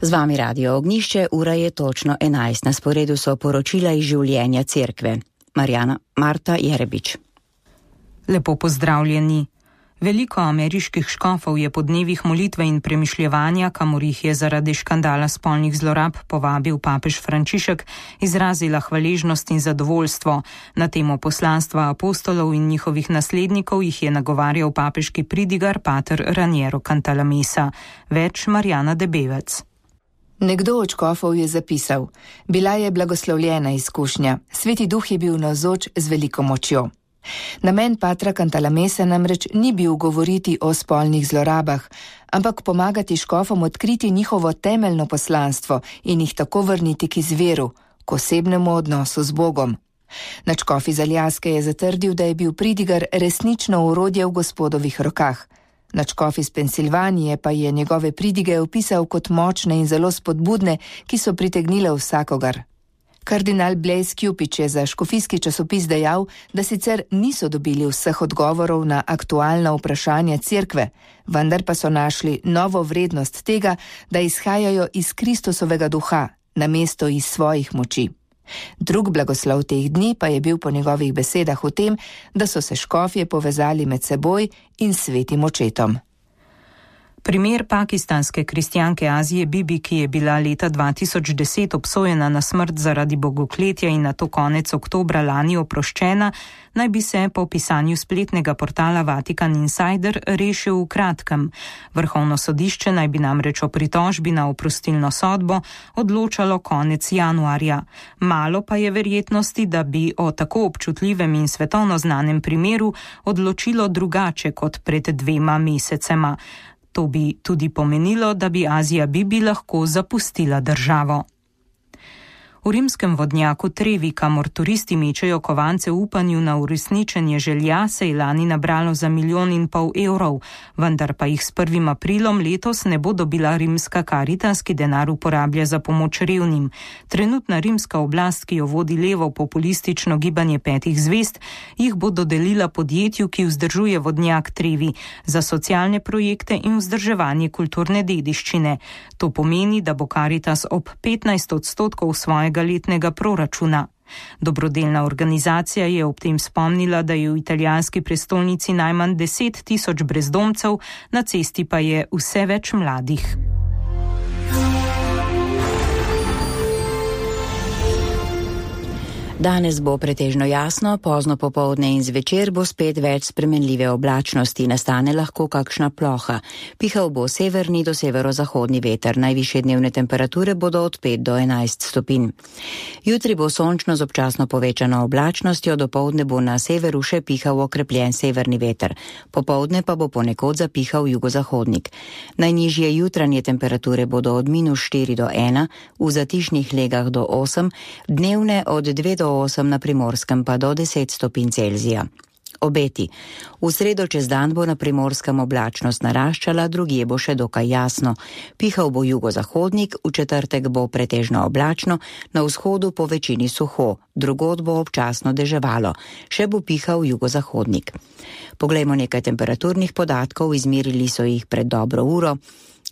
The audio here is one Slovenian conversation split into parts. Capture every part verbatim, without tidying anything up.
Z vami Radio Ognjišče, ura je točno enajst. Na sporedu so poročila iz življenja cerkve. Marjana Marta Jerebič. Lepo pozdravljeni. Veliko ameriških škofov je po dnevih molitve in premišljevanja, kamor jih je zaradi škandala spolnih zlorab povabil papež Frančišek, izrazila hvaležnost in zadovoljstvo. Na temo poslanstva apostolov in njihovih naslednikov jih je nagovarjal papeški pridigar pater Raniero Cantalamessa. Več Marjana Debevec. Nekdo od škofov je zapisal: bila je blagoslovljena izkušnja, Sveti Duh je bil navzoč z veliko močjo. Namen patra Cantalamessa namreč ni bil govoriti o spolnih zlorabah, ampak pomagati škofom odkriti njihovo temeljno poslanstvo in jih tako vrniti k izviru, k osebnemu odnosu z Bogom. Nadškof iz Aljaske je zatrdil, da je bil pridigar resnično orodje v Gospodovih rokah. Nadškof iz Pensilvanije pa je njegove pridige opisal kot močne in zelo spodbudne, ki so pritegnile vsakogar. Kardinal Blaise Cupich je za škofijski časopis dejal, da sicer niso dobili vseh odgovorov na aktualna vprašanja cerkve, vendar pa so našli novo vrednost tega, da izhajajo iz Kristusovega duha, namesto iz svojih moči. Drug blagoslov teh dni pa je bil po njegovih besedah v tem, da so se škofje povezali med seboj in svetim očetom. Primer pakistanske kristjanke Azije Bibi, ki je bila leta dva tisoč deset obsojena na smrt zaradi bogokletja in nato konec oktobra lani oproščena, naj bi se po pisanju spletnega portala Vatican Insider rešil v kratkem. Vrhovno sodišče naj bi namreč o pritožbi na oprostilno sodbo odločalo konec januarja. Malo pa je verjetnosti, da bi o tako občutljivem in svetovno znanem primeru odločilo drugače kot pred dvema mesecema. To bi tudi pomenilo, da bi Azija Bibi lahko zapustila državo. V rimskem vodnjaku Trevi, kamor turisti mečejo kovance v upanju na uresničenje želja, se je lani nabralo za milijon in pol evrov, vendar pa jih s prvim aprilom letos ne bo dobila rimska Caritas, ki denar uporablja za pomoč revnim. Trenutna rimska oblast, ki jo vodi levo populistično gibanje petih zvezd, jih bo dodelila podjetju, ki vzdržuje vodnjak Trevi, za socialne projekte in vzdrževanje kulturne dediščine. To pomeni, da bo Caritas ob petnajst odstotkov svoje letnega proračuna. Dobrodelna organizacija je ob tem spomnila, da je v italijanski prestolnici najmanj deset tisoč brezdomcev, na cesti pa je vse več mladih. Danes bo pretežno jasno, pozno popoldne in zvečer bo spet več spremenljive oblačnosti, nastane lahko kakšna ploha. Pihal bo severni do severozahodni veter, najvišje dnevne temperature bodo od pet do enajst stopinj. Jutri bo sončno z občasno povečano oblačnostjo, dopoldne bo na severu še pihal okrepljen severni veter, popoldne pa bo ponekod zapihal jugozahodnik. Najnižje jutranje temperature bodo od minus štiri do ena, v zatišnih legah do osem, dnevne od dve do osem na Primorskem pa do deset stopinj Celzija. Obeti. V sredo čez dan bo na Primorskem oblačnost naraščala, drugje bo še dokaj jasno. Pihal bo jugozahodnik, v četrtek bo pretežno oblačno, na vzhodu po večini suho, drugod bo občasno deževalo, še bo pihal jugozahodnik. Poglejmo nekaj temperaturnih podatkov, izmerili so jih pred dobro uro.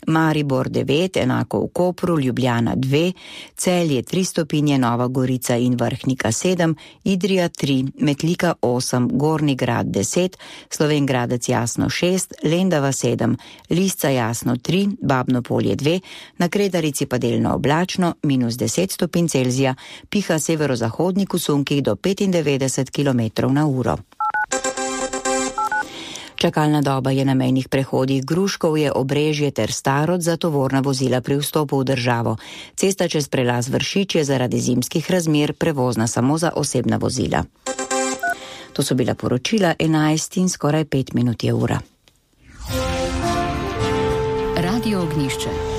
Maribor devet, enako v Kopru, Ljubljana dve, Celje tri stopinje, Nova Gorica in Vrhnika sedem, Idrija tri, Metlika osem, Gornji Grad deset, Slovenj Gradec Jasno šest, Lendava sedem, Lisca Jasno tri, Babno Polje dve, na Kredarici pa delno oblačno, minus deset stopinj Celzija, piha severozahodnik v sunkih do petindevetdeset kilometrov na uro. Čakalna doba je na mejnih prehodih Gruškovje, Obrežje ter Starod za tovorna vozila pri vstopu v državo. Cesta čez prelaz Vršič je zaradi zimskih razmer prevozna samo za osebna vozila. To so bila poročila, enajst in skoraj pet minut je ura. Radio Ognjišče.